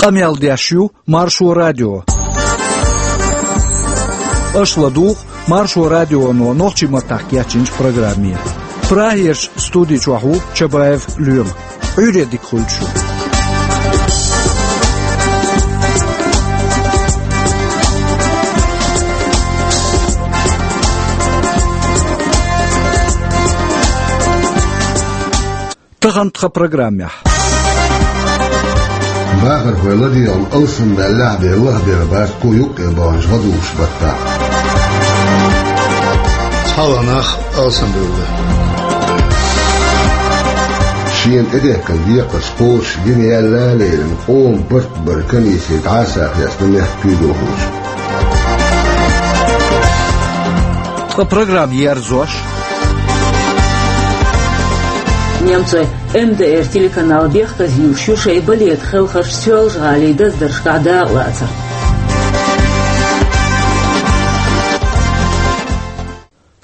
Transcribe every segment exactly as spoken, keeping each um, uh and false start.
Къамел деш ю Маршо радио. Аша ладугӀу Маршо радионо нохчийн маттахь кечйинчу программе. Прагерчу студи чохь ву Чабаев Лоьма. Ӏуьйре дика хуьлда шу. Тахана тхан программехь. Бахархой ладегӀан алсамдаьллехь бен лахбелла бац кху юккъе баханчу гӀадужу баттахь. ЦхьалгӀа нах алсамбевлла. Шена тӀедехкина декхарш кхочуш гина яьлла а лерина, къоман барт бара комиссия дӀасахьесна мехкан куьйгалхочун. Ткъа программа ерзош. Немцойн М Д Р телеканал бехказйийш ю шайн балетан хелхарш Соьлжа-ГӀалин даздаршкахь дакъалацар.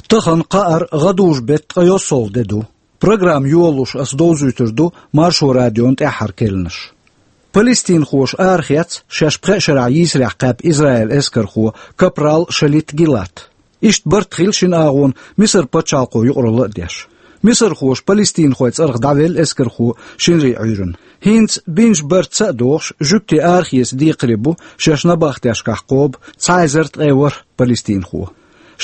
Тахана кхаара гӀадужу беттан ткъе йоьсналгӀа де ду. Программа йолалуш ас довзуьйтур ду Маршо радион тӀаьххьара керланаш. Палестинхоша арахецна шаьш пхеа шарахь йийсарехь кхаьбна Израилан эскархо капрал Шалит Гилат. Иштта барт хилла шина агӀонна Мисар пачхьалкхо юкъаралла а деш. Мисархоша палестинхойн цӀарах дӀавелла эскархо шинарин Ӏуьйранна. ХӀинца бинчу бартаца а догӀуш, жуьгтий арахеца декхаре бу шаьш набахтешкахь кхобу цхьа эзар ткъе ворхӀ палестинхо.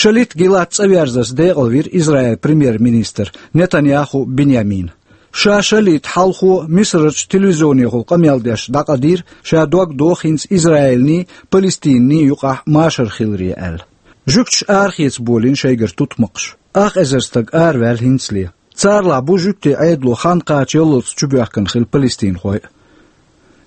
Шалит Гилат цӀа верзарца декъалвира Израилан премьер-министр Нетаньяху Биньямина. Ша Шалита хьалхо Мисарчу телевизионехула къамел деш дӀакъадийра, ша дог доху хӀинца Израилний, Палестиний юкъахь машар хиларе аьлла. Жуьгташа арахеца болийна шайгара тутмакхаш. Ах эзар стаг араваьлла хӀинцале. Царалахь бу жуьгтийн Ӏедало хан кхача яллалц чубоьхкина хилла палестинхой а.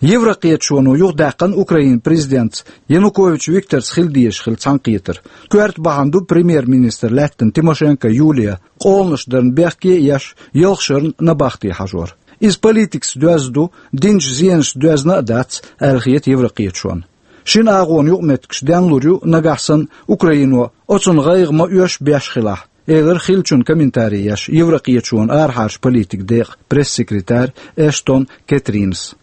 Еврокхеташоно юхадаьккхина Украинан президентца Янукович Викторца хила дезаш хилла цхьаьнакхетар. Коьрта бахьана ду премьер-министр лаьттина Тимошенко Юлия, къоланаш дарна бехке а еш, ялх шарна набахте хьажор. Иза политикаца доьзна ду, динчу зенашца доьзна а дац, аьлла хета еврокхеташонна. Шина агӀонан юкъаметтигаш денлур ю нагахь санна Украино оцунна гӀайгӀа ма оьшу беш хилахь, элира хиллачунна комментари еш еврокхеташонан арахьарчу политикан декъан пресс-секретарь Эштон Кэтринас.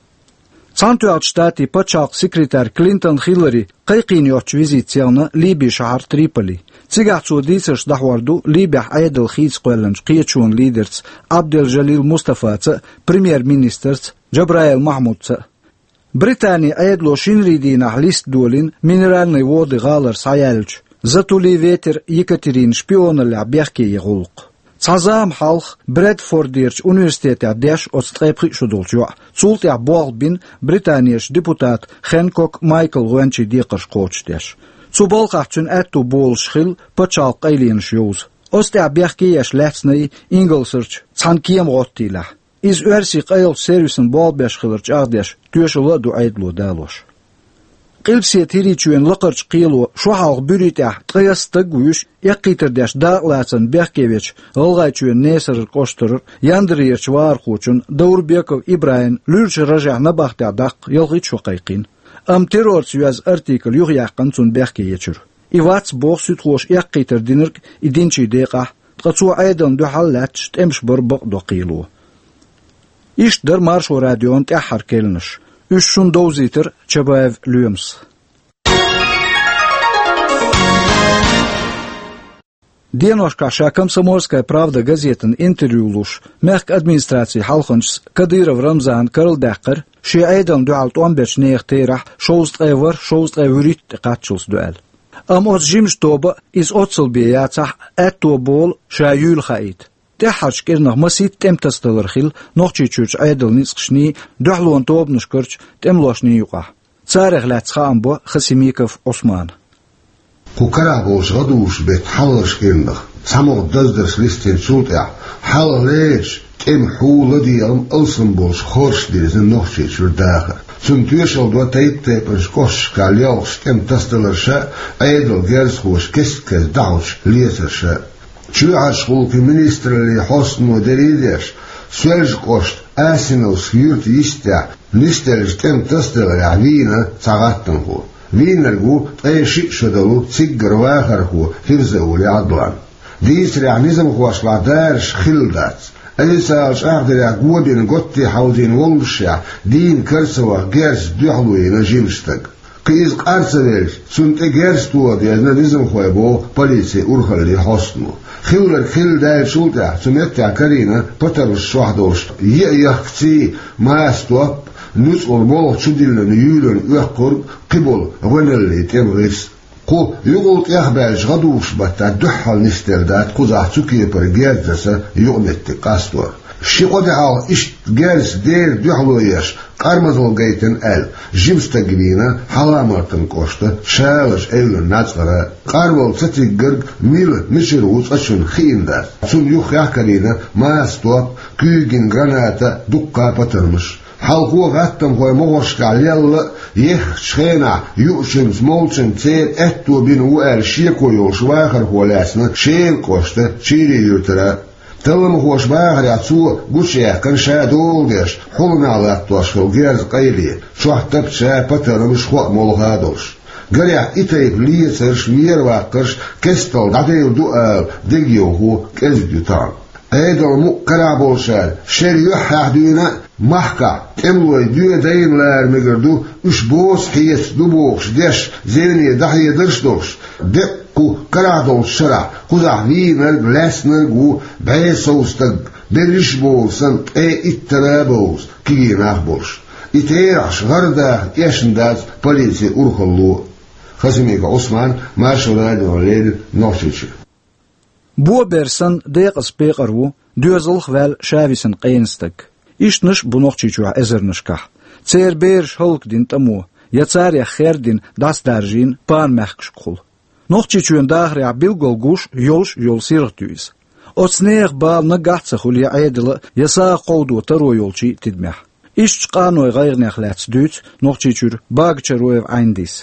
Цхьаьнатоьхначу Штатийн пачхьалкхан секретарь Клинтон Хиллари кхайкхийна йоцучу визитаца яьлла Ливин шахьар Триполи. Цигахь цо дийцарш дӀахьор ду Ливехь Ӏедал хийца кхоьллинчу кхеташонан лидерца Абдел-Жалил Мустафаца а, премьер-министрца Джабраил Махьмудца а. Британин Ӏедало шинарин дийнахь листа долийна Минеральные Воды гӀалара схьаяьллачу «За тулив ветер Екатерины» шпионаллехь бехке ян гӀуллакх. Цхьа зама хьалха Брэдфордерчу университетехь деш оцу ткъе пхи шо долчу йоӀа. Цул тӀаьхьа болх бина Британерчу депутата Хэнкок Майкла гӀоьнчийн декхарш кхочушдеш. Цу балхахь цуьнан аьтту болуш хилла пачхьалкхан къайленаш йовза. Оцу тӀехь бехке еш лаьцна и Ингалсарчу цхьана кема гӀоттийлехь. Иза оьрсийн къайлахчу сервисан болх беш хилар чӀагӀдеш, тоьшалла а ду Ӏедало далош. Къилбаседа ХӀирийчоьнан лакхарчу кхело шо хьалха буьрий тӀехь ткъе исс стаг а вуьйш, эккхийтар деш дакъалацарна бехке вечу ГӀалгӀайчоьнан Несарар кӀоштара Яндарерчу вахархочунна Даурбеков ИбрахӀимна луьрачу ражехь набахтехь даккха ялхитта шо кхайкхийна. Амма террорца йоьзна артикль юхаяьккхина цунна бехке ечуьра. И вац, боху суьдхоша, эккхийтар динарг и динчийн декъахь, ткъа цо Ӏедална дуьхьал а лаьтташ тӀемаш бар бакъдо кхело. Иштта дара Маршо радион тӀаьххьара керланаш. Уьш шуна довзийтира Чабаев Лоьмас. Деношкахь ша «Комсомольская правда» газетана интервью луш, мехкан администрацин хьалханчас Кадыров Рамзана карладаьккхира шен Ӏедална дуьхьал тӀом бечу нехан терахь шовзткъе ворхӀ, шовзткъе вуьрхӀитта тӀе кхаччалц ду аьлла. Амма оцу жимачу тоба иза оццул бен яцахь, аьтто болу ша юйла хаийта. ТӀаьххьарчу кӀирнах масийтта тӀеман тасадалар хилла Нохчийчуьрчу Ӏедалан ницкъашний, дуьхьалонан тобанашкарчу тӀемалошний юкъахь. Царех лаьцна хаам бо Хасимиков Ӏусмана. Кху карахь болчу гӀадужу беттан хьалхарчу кӀирнах цхьа могӀа даздарш листийначул тӀаьхьа, хьалхалерчу тӀеман хьу, ладегӀам алсам болуш хорша дирзина Нохчийчуьра дахар. Цунна тоьшалла до тайп-тайпанчу кӀошташкахь лелхаш тӀеман тасадаларша а, Ӏедалан герзахоша кест-кеста дӀахьочу лецарша а. Чоьхьарчу гӀуллакхийн министраллин хьостано дерриг а деш, Соьлжа-кӀоштан Асиновски юьртан йистехь нисделлачу тӀеман тасадаларехь вийна цхьа гӀаттамхо. Вийнарг ву ткъе шиъ шо долу циггара вахархо Фирзаули Ӏадлан. Дийцарехь, низамхошлахь дараш хилла дац. Ӏийсала чӀагӀдарехь го бина готте хьалдина воллушехь, дийна кара ца ваха герзаца дуьхьало йина жима стаг. Кхин иза къар ца велча, цунна тӀе герз тоха дезна низамхой, боху полицин урхаллин хьостано. Хилларг хилла даьллачул тӀаьхьа цу меттехь карийна патармаш чохь долуш, йиъ яхкаций, маса топ, нуьцкъала болх чу диллина юьйланна оьккхург, кхиболу гӀоьналлин тӀеман гӀирс. Кху юкъал тӀехбаьллачу гӀадужу баттахь дуьххьал нисделла дац кхузахь цу кепара герз даса юкъаметтиг къастор. Ши-кхо де хьалха иштта герз дера дуьхьало еш, къармазалла гайтина аьлла, жима стаг вийна Хьаламартан кӀоштан Шалаш эвлан нацкъара. Къарвала ца тиггарг мила, мичара ву цкъачунна хиъна дац. Цунна юххехь карийна маса топ, куьйган граната, дуккха патармаш. Хьалхо гӀаттамхойн могӀаршкахь лелла а, еххачу хенахь юучуьнца молчанна церан аьтто бина ву аьлла шеко йолуш вахархо лаьцна Шелан кӀоштан Чийрин юьртара. Талламхоша бахарехь, цо гучуяьккхина ша дола деш, хьуланах латтош хилла герз къайле, чохь тапча патармаш, хоа молха а долуш. Гарехь, и тайпа лецарш, вераваккхарш кестта дӀадайла ду ала дегайовхо кӀезиг ю тахана. Ӏедалан мукъ карахь болчара, шеран юьххьехь дуьйна а, махкахь тӀемалой доьдайна лара мегар ду, уьш боцу хьеца ду бохуш деш, зевне дӀахьедарш а долуш, деккъа кху карахь долчу шарахь кхузахь вийнарг, лаьцнарг а ву бӀе сов стаг, берриш а бовлу санна, ткъе иттара а бовзу кегий нах болуш. И терахьаш гӀара даха эшна дац полицин урхалло. Хасимиков Ӏусман, Маршо радиона леррина, Нохчийчоь. Бо бер санна, декъаза пекъар ву доьзалх а ваьлла, ша висина къена стаг. Ишттанаш а бу Нохчийчохь эзарнашкахь. Церан бераш хӀаллакдина тӀамо, я царех хердина дӀасадаржийна пана мехкашкахула. Нохчийчоьнан дахарехь билггал гуш, йолуш а йолу сиргӀат ю иза. Оцу нехан бала наггахь а ца хуьлу я Ӏедалан а, я сагӀа кховдо таро йолчийн а тидамехь. Ишттачу къанойн гӀайгӀанех лаьцна дуьйцу Нохчийчуьра Багачароев Ӏайндис.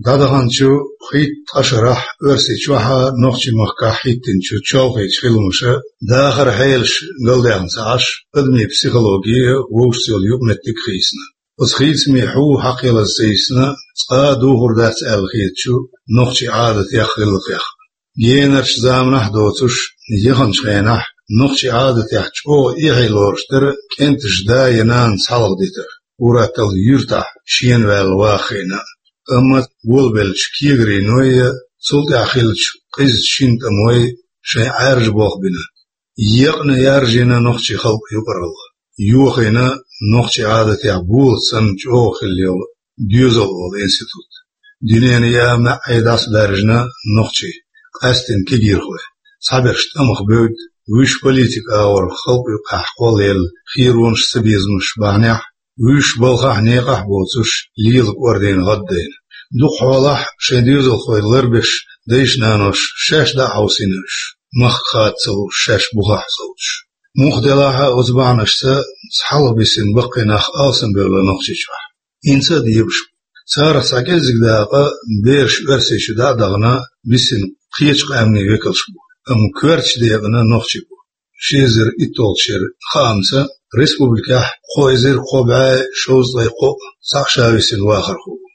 ДӀадаханчу хӀитта ткъа шарахь Оьрсийчохь а, Нохчийн махкахь а хӀиттинчу чолхечу хиламаша дахаран хьелаш галдаьхна ца Ӏаш, адамийн психологи а, вовшашца йолу юкъаметтиг а хийцина. Оцу хийцамийн хьу хьакхалаза ца йисна, цкъа а духур дац аьлла хетачу нохчийн Ӏадатех, гӀиллакхех. Генарчу заманахь а доцуш, яханчу хенахь нохчийн Ӏадатехь чӀогӀа эхье лоруш дара кӀентан да я нана цхьалгӀа дитар, ур-атталла юьртахь шена ваьлла ваха хиъна а. Амма волабеллачу кегарийн ной а, цул тӀаьхьа хиллачу къизачу шина тӀамой шайн Ӏаьржа болх бина. Екъна яржийна нохчийн халкъан юкъаралла. Йохийна нохчийн Ӏадатехь болат санна чӀогӀа хилла йолу доьзал олу институт. Дуьненан яа маьӀӀе дӀасадаьржина нохчий, къаьсттина кегийрхой. Цхьаберш тӀамах бевдда, вуьш политикан агӀор халкъан юкъахь кхоллаелла херонаш, цабезамаш бахьанехь, вуьш балхахь а, некъахь а боцуш, лела кӀордийна гӀаддайна. Дукха хьолахь шайн доьзалхой ларбеш дайша-наноша шаьш дӀа а хьовсийна уьш, махка хада ца лууш, шаьш бухахь совцуш. Муха делахь а, оцу бахьанашца цхьалха бисина баккхий нах алсамбевлла Нохчийчохь. ХӀинца а дебаш бу. Царах цхьа кӀеззиг дакъа бераш Оьрсийчу дӀа а дахана, бисина кхечу къаьмнийн векалш бу, амма коьртачу декъана нохчий бу. Ши эзар итталгӀачу шеран хаамца, республикехь кхо эзар кхо бӀе шовзткъе кхоъ цхьаъ ша висина вахархо ву.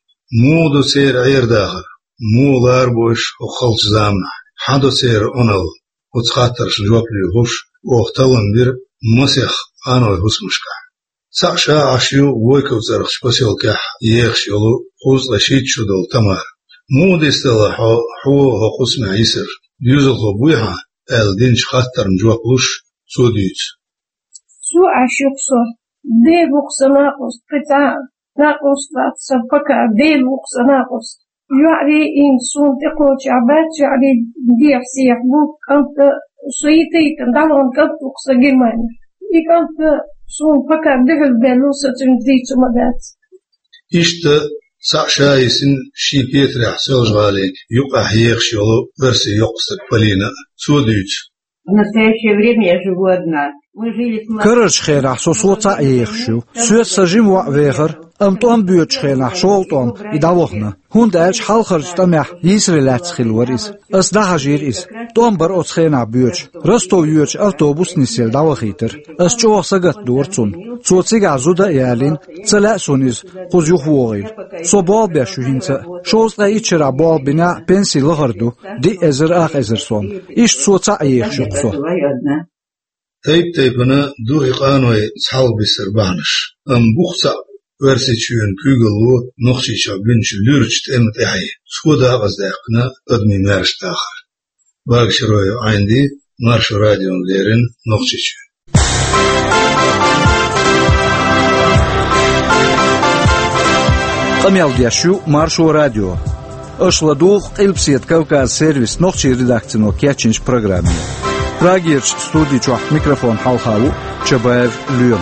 Муха ду церан Ӏер-дахар? Муха ларбо уьш хӀокху халчу заманахь? Хьан до церан Ӏуналла? Оцу хаттаршна жоп луьйхуш, оха таллам бира масех къаной хӀусамашкахь. Цхьаъ ша Ӏаш ю Войковцӏерахчу посёлкехь ехаш йолу кхузткъе шийтта шо долу Тамара. «Муха дистала хьо, хьо хӀокху хӀусамехь йисар? Доьзалхо буй хьан?» аьлла динчу хаттарна жоп луш, цо дуьйцу. Цо Ӏаш ю-кх со. Дела ву-кх сан накъост, кхин цхьа а накъост вац сан, пока Дела ву-кх сан накъост. ЙоӀ вийна, суна тӀекхочехь бац, йоӀ вийна, дехьа-сехьа бу, кӀант а, со йита-йитина дӀалон кӀант ву-кх сан Германехь. И кӀант а суна пока дуьхьал бен ву, сан цуьнца дийцур ма дац. Иштта цхьаъ ша йисина шен петарехь Соьлжа-ГӀалин юккъехь ехаш йолу оьрсийн йоккха стаг Полина а. Цо дуьйцу. В настоящее время я живу одна. Мы жили с младшей... Карарчу хенахь со, со цхьаъ ехаш ю. Соьца сан жима воӀ вехара, амма тӀом боьдучу хенахь шолгӀа тӀом и дӀавахана. ХӀунда аьлча хьалхарчу тӀамехь йийсаре лаьцна хилла вара иза. Ас дӀахьажийра иза. ТӀом бара оцу хенахь боьдуш. Ростов йоьдучу автобус нисъелла дӀавахийтара. Ас чӀогӀа сагатдора цунна. Цо цигахь зуда а ялийна, ца лаьа суна иза кхуза юхавогӀийла. Со болх беш ю хӀинца а. Шовзткъе итт шарахь болх бинехь а, пенси лахара ду, диъ эзар ах эзар сом. Иштта со цхьаъ ехаш ю-кх со. Тайп-тайпана духи къаной цхьалха бисар бахьанаш, амма бух цхьаъ Оьрсийчоьнан куьйгалло Нохчийчохь бинчу луьрачу тӀеман тӀаьхье, цо дакъаздаьккхина адамийн маьрша дахар. Багашиев Ӏайнди, Маршо радиона леррина, Нохчийчоь. Къамел деш ю Маршо радио. Аша ладугӀу Къилбаседа Кавказ сервисан нохчийн редакцино кечйинчу программе. Прагерчу студи чохь микрофон хьалха ву Чабаев Лоьма.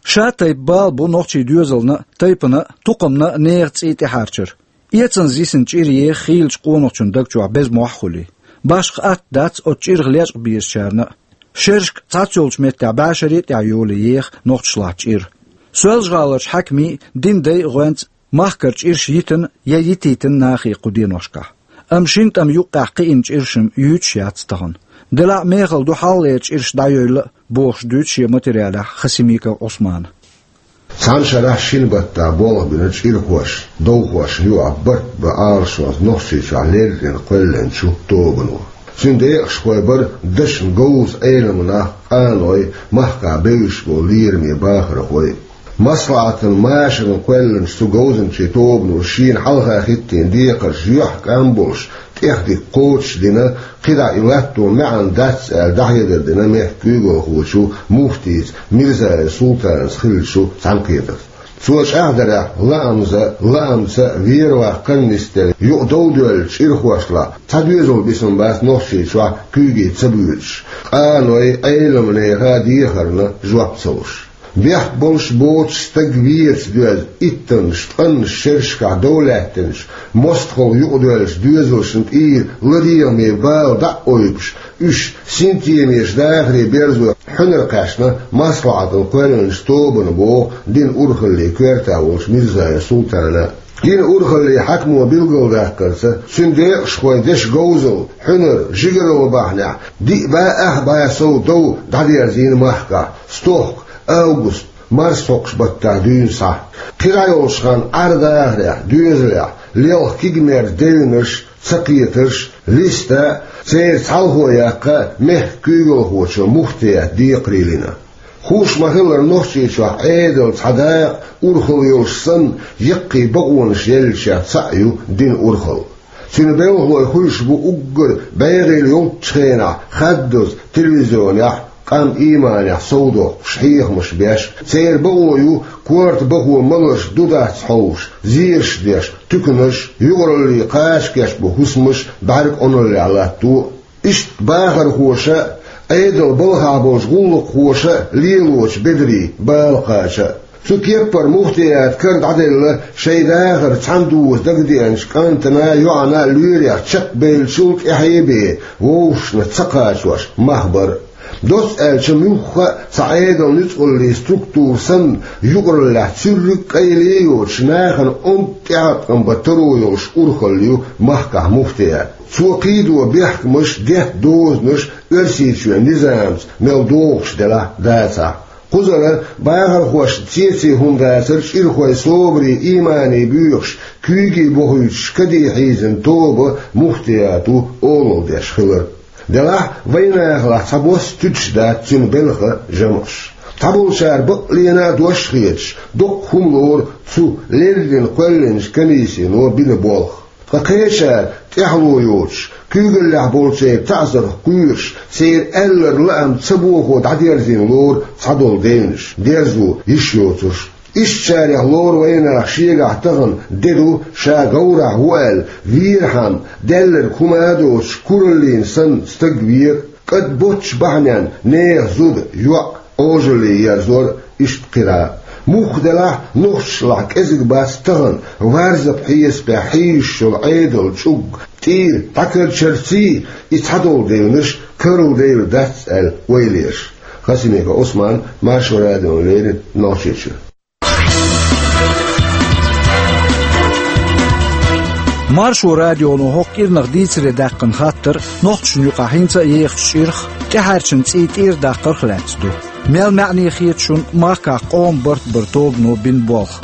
Ша тайпа бала бу нохчийн доьзална а, тайпана а, тукхамна а нехан цӀий тӀехьарчар. Эцанза йисина чӀир еха хийлачу къонахчун даг чохь беза мохь а хуьлий. Башха атта дац оцу чӀирах лечкъа безачарна а. Шерашка цхьаццайолчу меттехь бӀешаре а тӀехь йолий еха нохчашлахь чӀир. Соьлжа-ГӀаларчу хьаькамийн а, динан дайн а гӀоьнца махкара чӀираш йитина я йитийтина нахе кху деношкахь. Амма шина тӀама юккъехь кхиъна чӀираш-м юьйцуш яц тахана. Делахь а мехала ду хьалхалера чӀираш дӀайойла а, бохуш дуьйцу шен материалехь Хасимиков Ӏусмана. Цхьана шарахь шина баттахь болх бина чӀирхошна, довхошна юкъахь барт бан Ӏалашонца Нохчийчохь леррина кхоьллинчу тобано. Цуьнан декъашхой бара дашна говза Ӏеламнах, къаной, махкахь бевзаш болу лераме бахархой. Маслахьатан машарна кхоьллинчу цу говзанчийн тобано шена хьалха хӀиттийна декхарш юьхькӀам болуш, тӀехдика кхочушдина, кхидӀа и латто маьӀна дац аьлла, дӀахьедар дина мехкан куьйгалхочо муфтийца Мирзаев Султанца хиллачу цхьаьнакхетарца. Цо чӀагӀдарехь, лаамза, лаамца вер-ваккха нисделла юкъа дов доьллачу чӀирхошлахь цхьа доьзал бисина бац Нохчийчохь куьйге ца боьдуш, къаной, Ӏеламнеха дехарна жоп ца луш. Бехк болуш боцуш стаг веца доьзна, иттаннаш, ткъаннаш шерашкахь дов лаьттинчу, мостагӀалла юкъадоьллачу доьзалшна тӀера ладегӀаме бала дӀа а ойбуш, уьш синтемеша дахаре берзо хьуьнар кхаьчна маслахьатана кхоьллинчу тобано, боху динан урхаллин коьртехь волчу Мирзаев Султана. Динан урхаллин хьаькамо билгалдаккхарца, цуьнан декъашхойн дешан говзалла, хьуьнар, жигаралла бахьанехь, диъ бӀе ах бӀе сов дов дӀадерзийна махкахь, стохка, август, марсхьокхуш баттахь дуьйна схьа. Кхин дӀайолуш хан Ӏар-дахарехь, доьзалехь, лелха кегамерчу девнаш, цакхетарш, листа, церан цхьалхо яккха мехкан куьйгалхочо муфтиятан декхарийлина. Хууш ма-хиллара, Нохчийчохь Ӏедалан цхьа дакъа, урхалла йолуш санна, яккхий бакъонаш еллачех цхьаъ ю динан урхалла. Цуьнан белхалой хуьлуш бу уггар бегӀийла йолчу хенахь хаддаза телевизионехь, къам ийманехь совдоккхуш, хьехамаш беш. Церан бакъо ю корта бахо маларш ду-дац хьовсуш, зераш деш, туьканаш, юкъараллин кхача кечбан хӀусамаш бӀаьрг Ӏуналлехь латто. Иштта бахархоша а, Ӏедалан балхахь болчу гӀуллакххоша а лелочу бедарийн бала кхача а. Цу кеппара муфтиятан кара дӀаделла шайн дахар цхьаьна дуза дагадеанчу кӀантана а, йоӀана а лоьрех чекхбевллачул тӀаьхье а бен, вовшашна ца кхачош мах бар а. Доцца аьлча, муьлхха а цхьа Ӏедалан нуьцкъаллин структура санна, юкъараллехь цуьрриг а къайле а йоцуш, нахана онда тӀеӀаткъам бан таро йолуш урхалла ю махкахь муфтият. Цо кхийдо бехкамаш, детта дозанаш Оьрсийчоьнан низамца мел догӀуш делахь а, дацахь а. Кхузара бахархошна цеций хӀума дацара чӀирхойн собарий, ийманий буьйхуш, куьйге бохуьйтуш каде хьийзина тоба муфтиято олалла деш хилар. Делахь а, вайнахалахь цхьабосса туьдуш дац цуьнан белхан жамӀаш. Цхьаболчара бакъ лена а дош а хеташ, доккха хӀума лору цу леррина кхоьллинчу комиссино бина болх. Ткъа кхечара, тӀаьхьало йоцуш, куьйгаллехь болчеран таӀзарх кхоьруш, церан аьлларг лаам ца бохо дӀадерзийна лору цхьадолу девнаш, дерзо йиш йоцурш. Ишттачарех лору вайнах шегахь тахана де ду, ша говрахь ву аьлла, вийрхьама, даьлларг хӀума а доцуш, кураллина санна стаг вер, кӀад боццуш бахьаненна нехан зуда, йоӀ, Ӏожалле ерзор, иштта кхин а. Муха делахь а, нохчашлахь кӀезиг бац тахана варзапан хьесапехь хьийзаш йолу Ӏедалан чӀуг тӀера дӀакарчарций, и цхьадолу девнаш карладелла дац аьлла ойла еш. Хасимиков Ӏусман, Маршо радиона леррина, Нохчийчоь. Маршо радионо хӀокху кӀирнах дийцаре даьккхина хаттар нохчашна юкъахь хӀинца а ехачу чӀирах, тӀаьхьарчун цӀий тӀера даккхарх а лаьцна ду. Мел маьӀне хета шуна махкахь къоман барт баран тобано бина болх?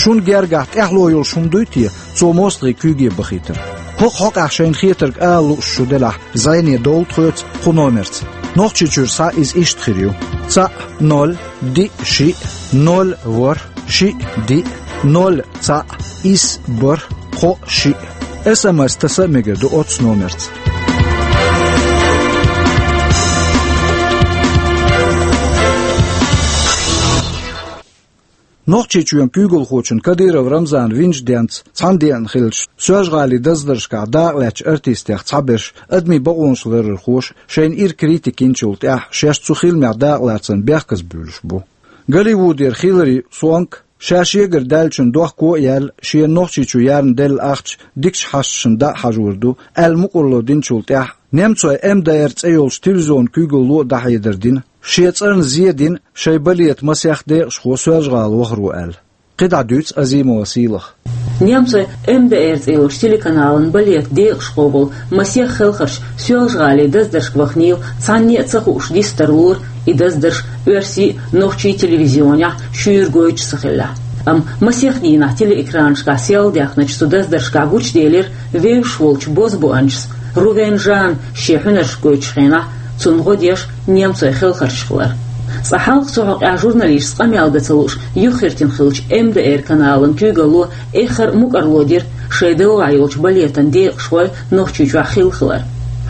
Шун гергахь тӀаьхьало йолуш хӀума дуй те, цо мостагӀий куьйге бахийтар? ХӀокху хьокъехь шайна хетарг ала лууш шу делахь, зӀене довла тхоьца кху номерца. Нохчийчуьра схьа иза иштта хир ю: цхьаъ, ноль, диъ, шиъ, ноль, ворхӀ, шиъ, диъ, ноль, цхьаъ, исс, бархӀ, кхоъ, шиъ. СМС таса а мегар ду оцу номерца. Нохчийчоьнан куьйгалхочун Кадыров Рамзанан винчу денца цхьана деана хиллачу Соьлжа-ГӀалин даздаршкахь дакъалаьцначу артистех цхьаберш, адамийн бакъонаш ларархоша, шайна ира критика йинчул тӀаьхьа шаьш цу хиламехь дакъалацарна бехказбуьйлуш бу. Голливудера Хилари Суонк, ша шегара даьллачун дохко а яьлла, шена Нохчийчу ярна делла ахча дикачу хьашташна дӀа а хьажор ду, аьлла мукӀарло динчул тӀаьхьа, немцойн МДР цӀе йолчу телевизионан куьйгалло а дӀахьедар дина, шен цӀарна зе дина шайн балетан масех декъашхо Соьлжа-ГӀала вахаро аьлла. КхидӀа дуьйцу Азимова Сийлаха. Немцойн МДР цӀе йолчу телеканалан балетан декъашхо волу масех хелхарча Соьлжа-ГӀалин даздаршка ваханийла, цхьанне а ца хууш дистар лора и даздарш оьрсийн а, нохчийн телевизионехь шуьйра гойтуш ца хиллехь. Амма масех дийнахь телеэкранашкахь сел даьхначу цу даздаршкахь гучуделира вевзаш волчу бозбуунчас Рувен Жанна шен хьуьнарш гойтучу хенахь цунна гӀо деш немцойн хелхарчаш хилар. Цкъа хьалха цу хьокъехь журналисташца къамел дан ца лууш юххертина хиллачу МДР-каналан куьйгалло эххар а мукӀарло дира шайн делахь йолчу балетан декъашхой Нохчийчохь хилла хилар.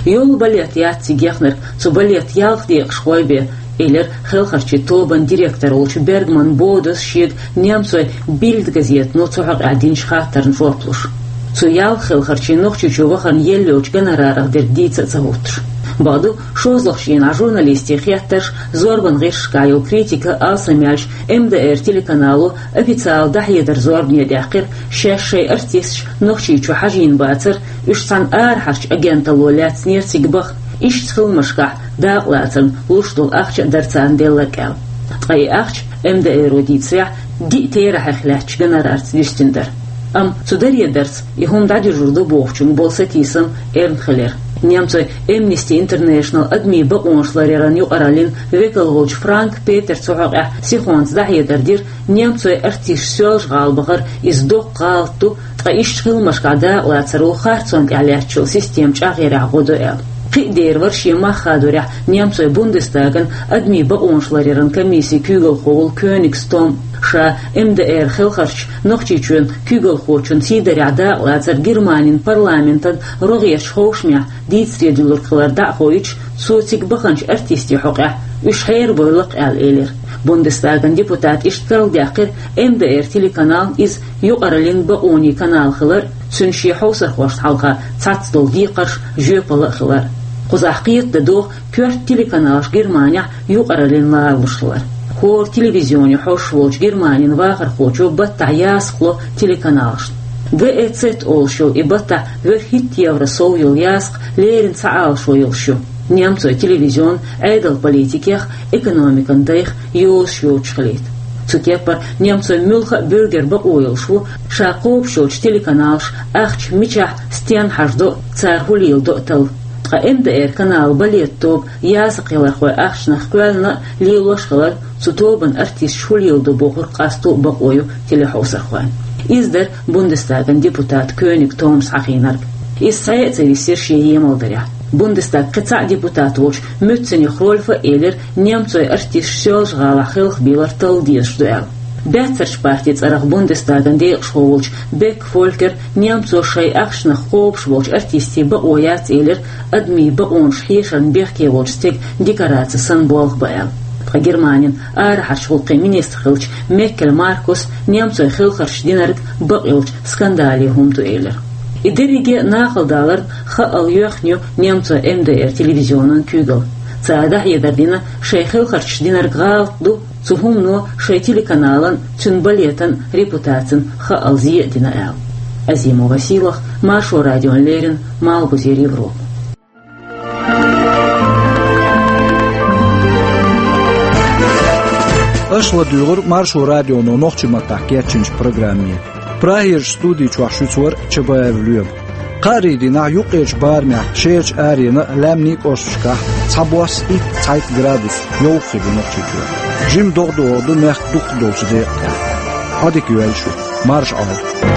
Йолу балет яц цига яхнарг, цу балетан ялх декъашхой бен, элира хелхарчийн тобан директор волчу Бергман Бодас шега немцойн Бильд газетано цу хьокъехь динчу хаттарна жоп луш. Цу ялх хелхарчийн Нохчийчу вахарна елла йолчу гонорарах дерг дийца а ца хӀуттуш. Бакъду, шозлагӀчу дийнахь журналистийн хеттарш, зорбан гӀирсашкахь йолу критика алсамъяьлча, МДР телеканало официалан дӀахьедар зорбане даьккхира, шаьш шайн артисташ Нохчийчу хьажийна бацара, уьш цхьана арахьарчу агенталло лаьцнера цига баха, иштта хиламашкахь дакъалацарна луш долу ахча а дара царна делларг аьлла. Ткъа и ахча, МДР-о дийцарехь, диъ терахьех лаьттачу гонорарца дуьстина дара. Амма цу даре дарца и хӀума дӀадуьжур ду бохучуьнга болу сатийсам эрна хилира. Немцойн Amnesty International адамийн бакъонаш ларъяран юкъараллин векал волчу Франк Петера цу хьокъехь сихонца дӀахьедар дира, немцойн артисташ Соьлжа-ГӀала бахар иза доккха гӀалат ду, ткъа иштта хиламашкахь дакъалацаро харцонна тӀехь лаьттачу системан чӀагӀъярехь гӀо до аьлла. Кхин а дера вара шен мах хадорехь немцойн Бундестаган адамийн бакъонаш ларъяран комиссин куьйгалхо волу Кёнигс Том. Ша МДР хелхарчаш Нохчийчоьнан куьйгалхочун сийдарехь дакъалацар Германин парламентан рогӀерчу ховшамехь дийцаре дуьллург хилар дӀа а хоуьйтуш, цо цига баханчу артистийн хьокъехь уьш хьерабойла-кх аьлла элира. Бундестаган депутата иштта карладаьккхира МДР телеканал иза юкъараллин бакъонийн канал хилар а, цуьнан шен хьовсархошна хьалха цхьацца долу декхарш жоьпалла а хилар а. Кхузахь кхета дан догӀу коьрта телеканалш Германехь юкъараллин ларалуш хилар. ХӀора телевизионе хьожуш волчу Германин вахархочо баттахь ясакх ло телеканалшна. ГЭЦ олуш йолу и баттахь вуьрхӀитта евро сов йолу ясакх леррина схьаалашо йолуш ю, немцойн телевизион Ӏедалан политикех, экономикан дайх йозуш йоцуш хилийта. Цу кеппара немцойн муьлхха а буьргер бакъо йолуш ву, ша кхобуш йолчу телеканалша ахча мичахь, стенна хьажадо а, цара хӀун леладо а талла. Ткъа МДР-каналан балетан тоба ясакхъялархойн ахчанах кхоьллина а, лелош а хилар, цу тобан артисташа хӀун леладо бохург къасто а бакъо ю телехьовсархойн. Иза дара Бундестаган депутата Кёнигс Тома схьахиинарг. Иза цхьаъ а ца висира шен емалдарехь. Бундестаган кхин цхьа а депутат волчу Мюценех Рольфа а элира, немцойн артисташ Соьлжа-ГӀалахь хелхабийлар талла дезаш ду аьлла. Баьццарчу партин цӀарах Бундестаган декъашхо волчу Бек Фолькера немцоша шайн ахчанах кхобуш болчу артистийн бакъо яц элира, адамийн бакъонаш хьешарна бехке волчу стеган декораци санна болх бан аьлла. Ткъа Германин арахьарчу гӀуллакхийн министр хиллачу Меркель Маркуса немцойн хелхарчаша динарг бакъйолчу скандале хӀума ду элира. И дерриге а нахала даларна хаъал йоьхна ю немцойн МДР телевизионан куьйгалла. Цара дӀахьедар дина, шайн хелхарчаша динарг гӀалат ду, цу хӀумано шайн телеканалан, цуьнан балетан репутацина хаъал зе а дина аьлла. Азимова Сийлаха, Маршо радиона леррина, Малхбузера Европа. Аша ладуьйгӀура Маршо радионо нохчийн маттахь кечйинчу программе. Прагерчу студи чохь шуьца вара Чабаев Лоьма. Кхаарин дийнахь юккъерчу барамехь шерачу аренна а, лаьмнийн кӀошташкахь а цхьабосса итт-цхьайтта градус йовха хир ю Нохчийчохь. Жимма догӀа догӀур ду мехкан дукхахдолчу декъа тӀехь. Ӏадика йойла шу. Маршал.